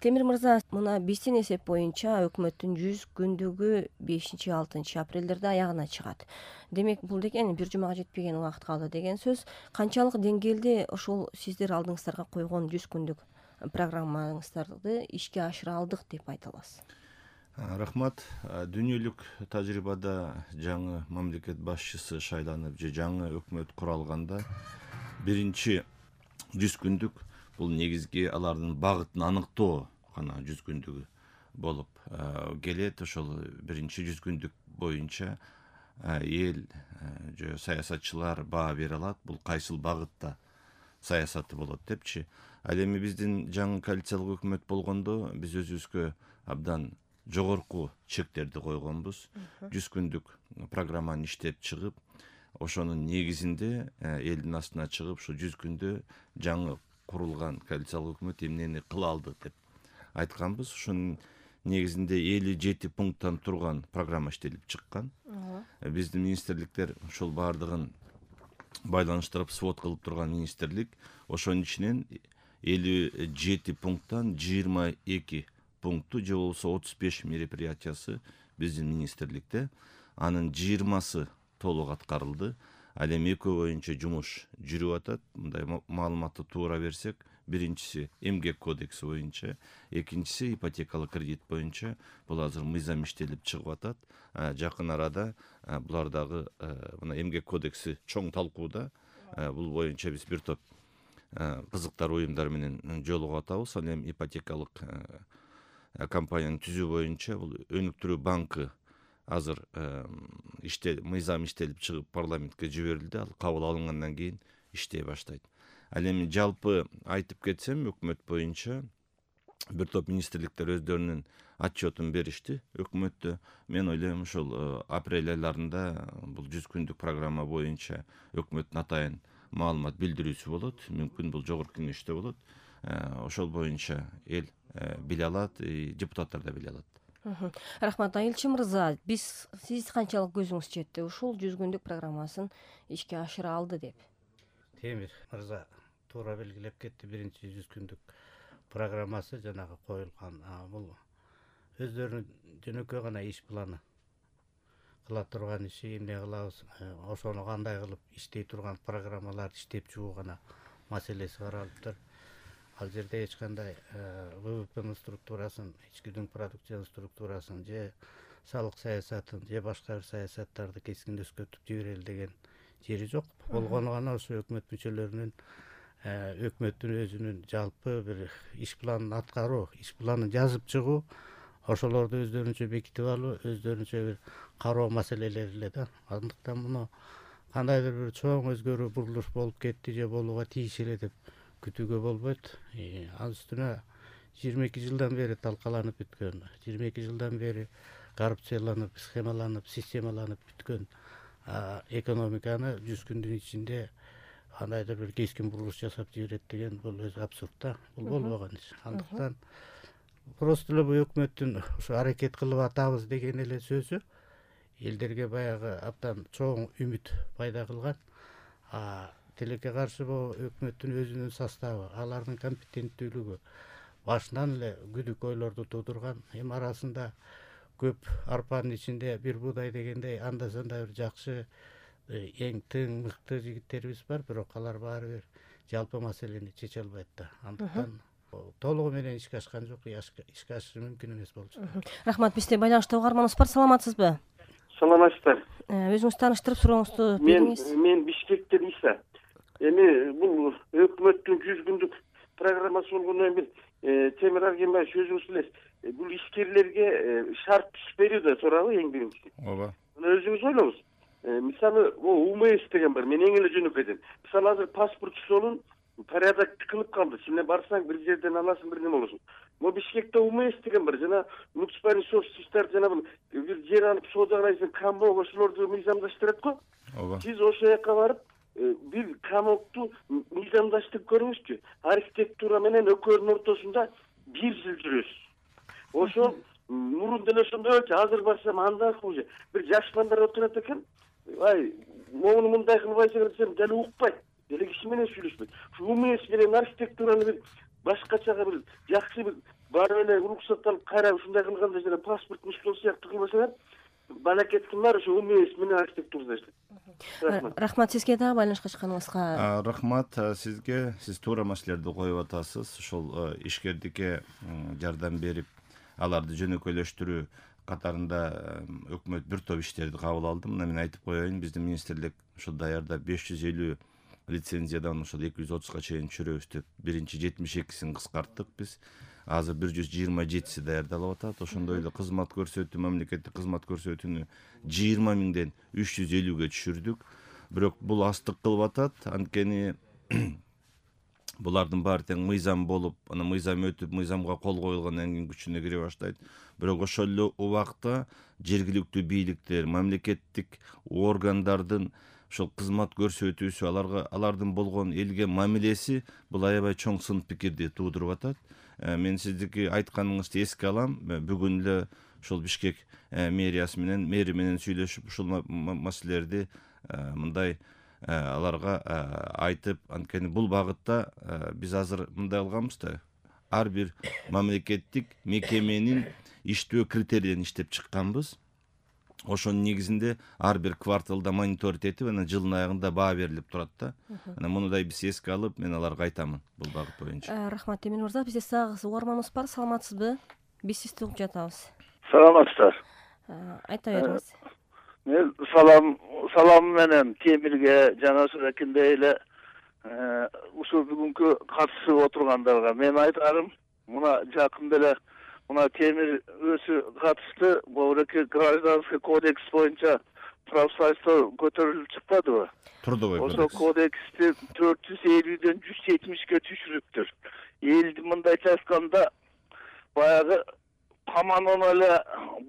Темир мырза, мына биздин эсеп боюнча өкмөттүн 100 күндүгү 5-6 апрелдерде аягына чыгат. Демек, бул деген бир жумага жетпеген убакыт калды деген сөз. Канчалык деңгээлде ошол сиздер алдыңыздарга койгон 100 күндүк программаңыздарды ишке ашыра алдык деп айта аласыз? Рахмат. Дүйнөлүк тажрыйбада жаңы мамлекет башчысы шайланып же жаңы өкмөт куралганда биринчи 100 күндүк бул негизги алардын багытын аныктоо гана 100 күндүгү болуп келет. Ошол биринчи 100 күндүк боюнча эл же саясатчылар баа бере алат, бул кайсыл багытта саясаты болот депчи. Ал эми биздин жаңы коалициялык өкмөт болгондо биз өзүбүзгө абдан жогорку чектерди койгонбуз. 100 күндүк программаны иштеп чыгып, ошонун негизинде элдин астына чыгып, ушу 100 күндө жаңы курулган коалициялык өкмөт эмнени кыла алды деп айтканбыз. Ошонун негизинде 57 пункттан турган программа иштелип чыккан. Биздин министрликтер ушул баардыгын байланыштырып свод кылып турган министрлик, ошонун ичинен 57 пункттан 22 пункту же болбосо 35 мероприятиясы биздин министрликте, анын 20сы толук аткарылды. Ал эми экөө боюнча жумуш жүрүп атат. Мындай маалыматты туура берсек, биринчиси эмгек кодекси боюнча, экинчиси ипотекалык кредит боюнча бул азыр мыйзам иштелип чыгып атат. Жакын арада булар дагы мына эмгек кодекси чоң талкууда. Бул боюнча биз бир топ кызыктар уюмдар менен жолугуп атабыз. Ал эми ипотекалык компанияны түзүү боюнча бул өнүктүрүү банкы азыр мыйзам иштелип чыгып парламентке жиберилди. Ал кабыл алынгандан кийин иштей баштайт. Ал эми жалпы айтып кетсем, өкмөт боюнча бир топ министрликтер өздөрүнүн отчетун беришти өкмөттө. Мен ойлойм, ушул апрель айларында бул 100 күндүк программа боюнча өкмөттүн атайын маалымат билдирүүсү болот. Мүмкүн бул жогорку кеңеште болот. Ошол боюнча эл биле алат, депутаттар да биле алат. Рахмат. Айылчы мырза, сиз канчалык көзүңүз жетти ушул 100 күндүк программасын ишке ашыра алды деп? Темир мырза туура белгилеп кетти. Биринчи 100 күндүк программасы жанагы коюлган. Бул өздөрүнүн жөнөкөй гана иш планы, кыла турган иши, эмне кылабыз, ошону кандай кылып иштей турган программаларды иштеп чыгуу гана маселеси каралыптыр. Ал жерде эч кандай ВВПнын структурасын, ички дүң продукциянын структурасын же салык саясатын же башка бир саясаттарды кескин өзгөртүп жиберели деген жери жок. Болгону гана ошо өкмөт мүчөлөрүнүн өкмөттүн өзүнүн жалпы бир иш планын аткаруу, иш планын жазып чыгуу, ошолорду өздөрүнчө бекитип алуу, өздөрүнчө бир кароо маселелери эле да. Андыктан муну кандайдыр бир чоң өзгөрүү, бурулуш болуп кетти же болууга тийиш эле деп күтүүгө болбойт. Ал үстүнө 22 жылдан бери талкаланып бүткөн, 22 жылдан бери коррупцияланып, схемаланып, системаланып бүткөн экономиканы 100 күндүн ичинде кандайдыр бир кескин бурулуш жасап жиберет деген бул өзү абсурд да. Бул болбогон иш. Андыктан просто эле бул өкмөттүн ушу аракет кылып атабыз деген эле сөзү элдерге баягы абдан чоң үмүт пайда кылган. Тилекке каршы бул өкмөттүн өзүнүн составы, алардын компетенттүүлүгү башынан эле күдүк ойлорду туудурган. Эми арасында көп арпанын ичинде бир буудай дегендей анда санда бир жакшы, эң тың, мыкты жигиттерибиз бар, бирок алар баары бир жалпы маселени чече албайт да. Андыктан толугу менен ишке ашкан жок, ишке ашышы мүмкүн эмес болуп чыгат. Рахмат. Бизде байланышта угарманыбыз бар. Саламатсызбы? Саламатсыздар. Өзүңүз тааныштырып сурооңузду бериңиз. Мен Бишкектен Иса. Эми бул өкмөттүн 100 күндүк программасы болгондон кийин Темир Аргенбаевич өзүңүз билесиз, бул ишкерлерге шарт түшпөйдү да сурабы эң биринчи. Ооба. Мына өзүңүз ойлоңуз. Мисалы, УМС деген бар, мен эң эле жөнөкөйдөн. Мисалы азыр паспорт жолун порядокты кылып калды. Сен барсаң бир жерден аласың, бир неме болосуң. Мо Бишкекте УМС деген бар, жана муниципальный собственностьтар, жана бир жер алып соода кыласың, камок, ошолорду мыйзамдаштырат го. Ооба. Сиз ошол жака барып бир камокту мыйзамдаштырып көрүңүзчү. Архитектура менен өкөөнүн ортосунда 1 жыл жүрөсүз. Ошол мурун деле ошондой болчу, азыр барсам андан хуже. Бир жаш балдар отурат экен. Моуну мындай кылбайсың десем, деле укпайт. Деле киши менен сүйлөшпөйт. Ушу УМС менен архитектураны бир башкачага бир жакшы бир барып эле уруксат алып кайра ушундай кылганда жана паспорттун стол сыяктуу кылбасалар, балакеттин баары ошо УМС менен архитектурада иштейт. Рахмат. Рахмат сизге дагы байланышка чыкканыңызга. Рахмат сизге. Сиз туура маселелерди коюп атасыз. Ошол ишкердикке жардам берип, аларды жөнөкөйлөштүрүү катарында өкмөт бир топ иштерди кабыл алды. Мына мен айтып коеюн, биздин министрлик ошо даярдап 550 лицензиядан ошол 230га чейин түшүрөбүз деп биринчи 72син кыскарттык биз. Азыр 127си даярдалып атат. Ошондой эле кызмат көрсөтүү, мамлекеттик кызмат көрсөтүүнү 20 миңден 350ге түшүрдүк. Бирок бул астык кылып атат. Анткени булардын баары тең мыйзам болуп, анан мыйзам өтүп, мыйзамга кол коюлгандан кийин күчүнө кире баштайт. Бирок ошол эле убакта жергиликтүү бийликтер, мамлекеттик органдардын ошол кызмат көрсөтүүсү, алардын болгон элге мамилеси бул аябай чоң сын пикирди туудуруп атат. Мен сиздики айтканыңызды эске алам. Бүгүн эле ошол Бишкек мэриясы менен, мэри менен сүйлөшүп, ушул маселелерди мындай аларга айтып, анткени бул багытта биз азыр мындай кылганбыз да, ар бир мамлекеттик мекеменин иштөө критерийлерин иштеп чыкканбыз. Ошонун негизинде ар бир кварталда мониторинг этип, анан жылдын аягында баа берилип турат да. Анан мундай биз эске алып, мен аларга айтамын бул багыт боюнча. Рахмат Эмин мырза, бизде сагыз угарманыбыз бар. Саламатсызбы? Биз сизди угуп жатабыз. Саламатсыздар. Айта бериңиз. Мен салам менен Темирге жана Суракиндей эле ушул бүгүнкү катышып отургандарга мен айтарым, мына жакында эле мына Темир өзү катышты, богуреки гражданский кодекс боюнча профсоюздор көтөрүлүп чыкпадыбы? Трудовой кодекс. Ошол кодексти 450ден 170ге түшүрүптүр. Элди мындайча айтканда баягы каманын эле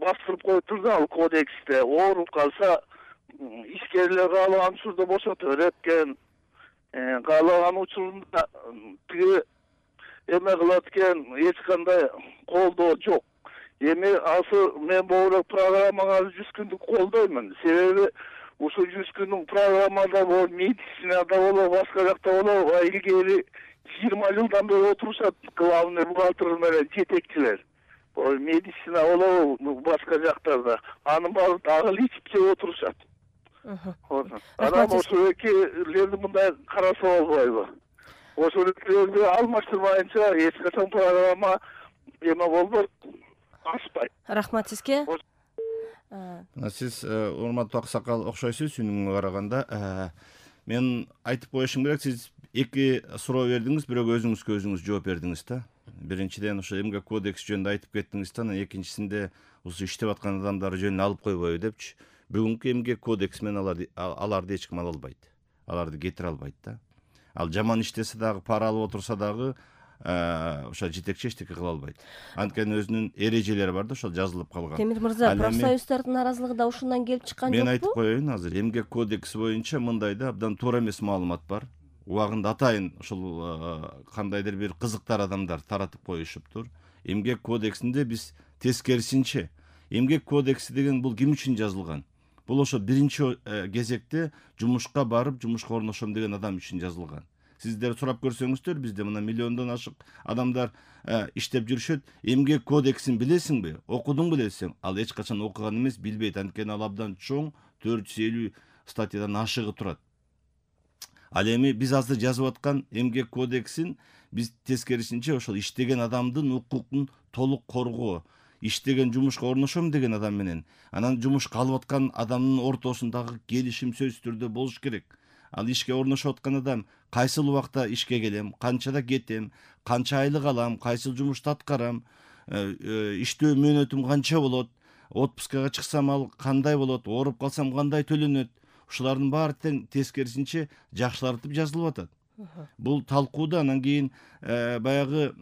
бастырып коюптур да ал кодексте. Ооруп калса ишкерлер каалаган учурда бошото берет экен. Каалаган учурунда тиги эме кылат экен, эч кандай колдоо жок. Эми азыр мен бул программага 100 күндүк колдоймун. Себеби ушул 100 күндүк программада бул медицинада болобу, башка жакта болобу, илгери 20 жылдан бери отурушат главный бухгалтер менен жетекчилер. Медицина болобу, башка жактарда. Анын баары дагы ичип жеп отурушат. Анан ошол экилерди мындай караса болбойбу? Ошол экилерди алмаштырмайынча эч качан программа эме болбойт, ашпайт. Рахмат сизге. Сиз урматтуу аксакал окшойсуз үнүңө караганда. Мен айтып коюшум керек, сиз эки суроо бердиңиз, бирок өзүңүзгө өзүңүз жооп бердиңиз да. Биринчиден ошо эмгек кодекс жөнүндө айтып кеттиңиз да, анан экинчисинде ушул иштеп аткан адамдар жөнүн алып койбойбу депчи. Бүгүнкү эмгек кодекс менен аларды эч ким ала албайт. Аларды кетире албайт да. Ал жаман иштесе дагы, пара алып отурса дагы ошо жетекчи эчтеке кыла албайт. Анткени өзүнүн эрежелери бар да, ошол жазылып калган. Темир мырза, профсоюздардын наразылыгы да ушундан келип чыккан жокпу? Мен айтып коеюн, азыр эмгек кодекси боюнча мындай да, абдан туура эмес маалымат бар. Убагында атайын ошол кандайдыр бир кызыктар адамдар таратып коюшуптур. Эмгек кодексинде биз тескерисинче, эмгек кодекси деген бул ким үчүн жазылган? Бул ошо биринчи кезекте жумушка барып, жумушка орношом деген адам үчүн жазылган. Сиздер сурап көрсөңүздөр, бизде мына миллиондон ашык адамдар иштеп жүрүшөт. Эмгек кодексин билесиңби? Окудуң билесиң? Ал эч качан окуган эмес, билбейт. Анткени ал абдан чоң 450 статьядан ашыгы турат. Ал эми биз азыр жазып аткан эмгек кодексин биз тескерисинче ошол иштеген адамдын укугун толук коргоо, иштеген жумушка орношом деген адам менен анан жумушка алып аткан адамдын ортосундагы келишим сөзсүз түрдө болуш керек. Ал ишке орношуп аткан адам кайсыл убакта ишке келем, канчада кетем, канча айлык алам, кайсыл жумушту аткарам, иштөө мөөнөтүм канча болот, отпускага чыксам ал кандай болот, ооруп калсам кандай төлөнөт. Ушулардын баары тең тескерисинче жакшылартып жазылып атат. Бул талкууда анан кийин баягы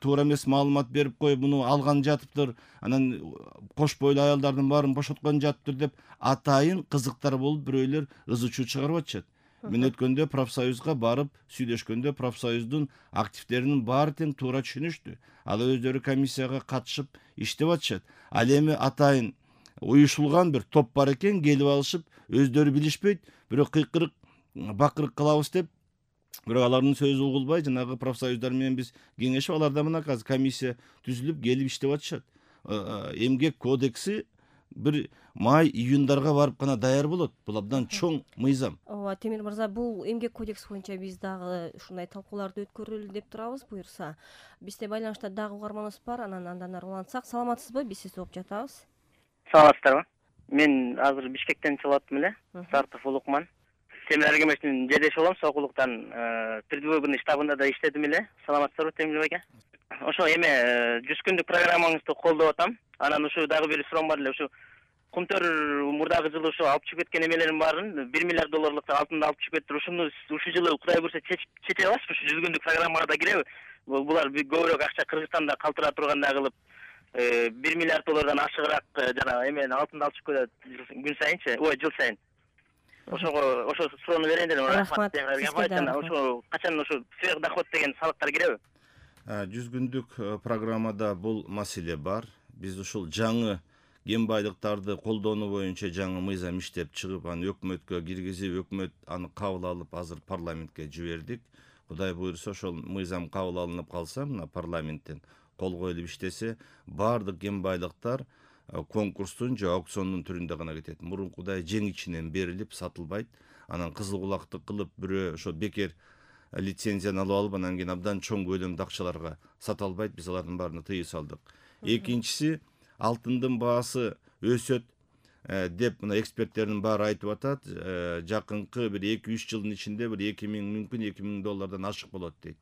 туура эмес маалымат берип коюп, муну алган жатыптыр, анан кош бойлуу аялдардын баарын бошоткон жатыптыр деп атайын кызыктар болуп бирөөлөр ызы чуу чыгарып атышат. Мен өткөндө профсоюзга барып сүйлөшкөндө профсоюздун активдеринин баары тең туура түшүнүштү. Ал өздөрү комиссияга катышып иштеп атышат. Ал эми атайын уюшулган бир топ бар экен, келип алышып, өздөрү билишпейт, бирок кыйкырык бакырык кылабыз деп Бирок алардын сөзү угулбай, жанагы профсоюздар менен биз кеңешип, аларда мына азыр комиссия түзүлүп келип иштеп атышат. Эмгек кодекси бир май-июндарга барып гана даяр болот. Бул абдан чоң мыйзам. ооба, Темир мырза, бул эмгек кодекс боюнча биз дагы ушундай талкууларды өткөрөлү деп турабыз, буюрса. Бизде байланышта дагы угарманыбыз бар, андан ары улантсак. Саламатсызбы? Биз сизди угуп жатабыз. Саламатсыздарбы? Мен азыр Бишкектен чыгып аттым эле. Сартов Улукман. Темир Аргемештин жедеш болом, Сокулуктан предвыборный штабында да иштедим эле. Саламатсыздарбы, Темир байке? Ошо эме 100 күндүк программаңызды колдоп атам. Анан ушу дагы бир суроом бар эле. Ушу Кумтөр мурдагы жылы ушу алып чыгып кеткен эмелерин баарын $1 миллиард алтынды алып чыгып кетти. Ушуну ушу жылы Кудай буйрса чече аласызбы? Ушу 100 күндүк программага да киреби? Булар көбүрөөк акча Кыргызстанда калтыра тургандай кылып, $1 миллиард ашыгыраак жана эмени алтынды алып чыгып кетет күн сайынчы, жыл сайын. Ошо суроону берейин дедим. Рахмат. Ошо качан ошо сверхдоход деген салыктар киреби? 100 күндүк программада бул маселе бар. Биз ушул жаңы кен байлыктарды колдонуу боюнча жаңы мыйзам иштеп чыгып, аны өкмөткө киргизип, өкмөт аны кабыл алып, азыр парламентке жибердик. Кудай буйрса, ошол мыйзам кабыл алынып калса, мына парламенттен кол коюлуп иштесе, баардык кен байлыктар конкурстун же аукциондун түрүндө гана кетет. Мурункудай жең ичинен берилип сатылбайт. Анан кызыл кулактык кылып, бирөө ошо бекер лицензияны алып алып, анан кийин абдан чоң көлөмдө акчаларга сата албайт. Биз алардын баарына тыюу салдык. Экинчиси, алтындын баасы өсөт деп мына эксперттердин баары айтып атат. Жакынкы бир 2-3 жылдын ичинде бир 2000, мүмкүн $2000 ашык болот дейт.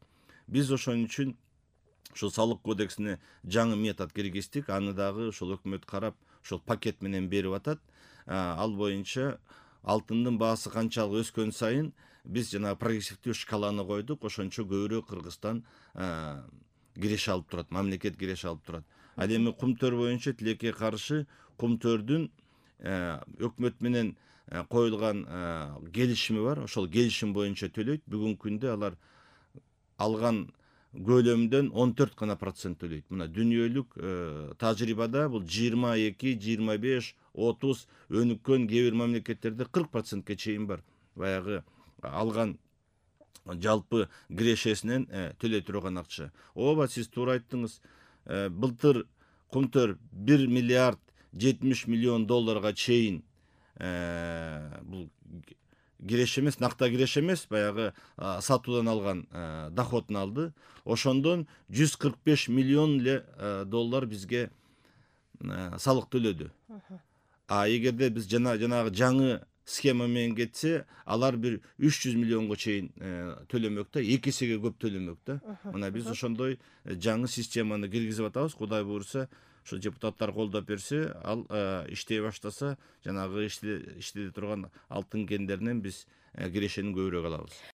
Биз ошон үчүн ушул салык кодексине жаңы метод киргиздик. Аны дагы ошол өкмөт карап, ошол пакет менен берип атат. Ал боюнча алтындын баасы канчалык өскөн сайын биз жана прогрессивдүү шкаланы койдук. Ошончо көбүрөөк Кыргызстан киреше алып турат, мамлекет киреше алып турат. Ал эми Кумтөр боюнча тилекке каршы Кумтөрдүн өкмөт менен коюлган келишими бар. Ошол келишим боюнча төлөйт. Бүгүнкү күндө алар алган көлөмдөн 14 гана процент төлөйт. Мына дүйнөлүк тажрыйбада бул 22, 25, 30, өнүккөн кээ бир мамлекеттерде 40%ке чейин бар. Баягы алган жалпы кирешесинен төлөй турган акча. Ооба, сиз туура айттыңыз. Былтыр Кумтөр $1 миллиард 70 миллион чейин бул киреше эмес, накта киреше эмес, баягы сатуудан алган доходун алды. Ошондон $145 миллион эле бизге салык төлөдү. Эгерде биз жанагы жаңы схема менен кетсе, алар бир 300 миллионго чейин төлөмөк да, 2 эсеге көп төлөмөк да. Мына биз ошондой жаңы системаны киргизип атабыз. Кудай буйрса, ошо депутаттар колдоп берсе, ал иштей баштаса, жанагы иштете турган алтын кендеринен биз кирешени көбүрөөк алабыз.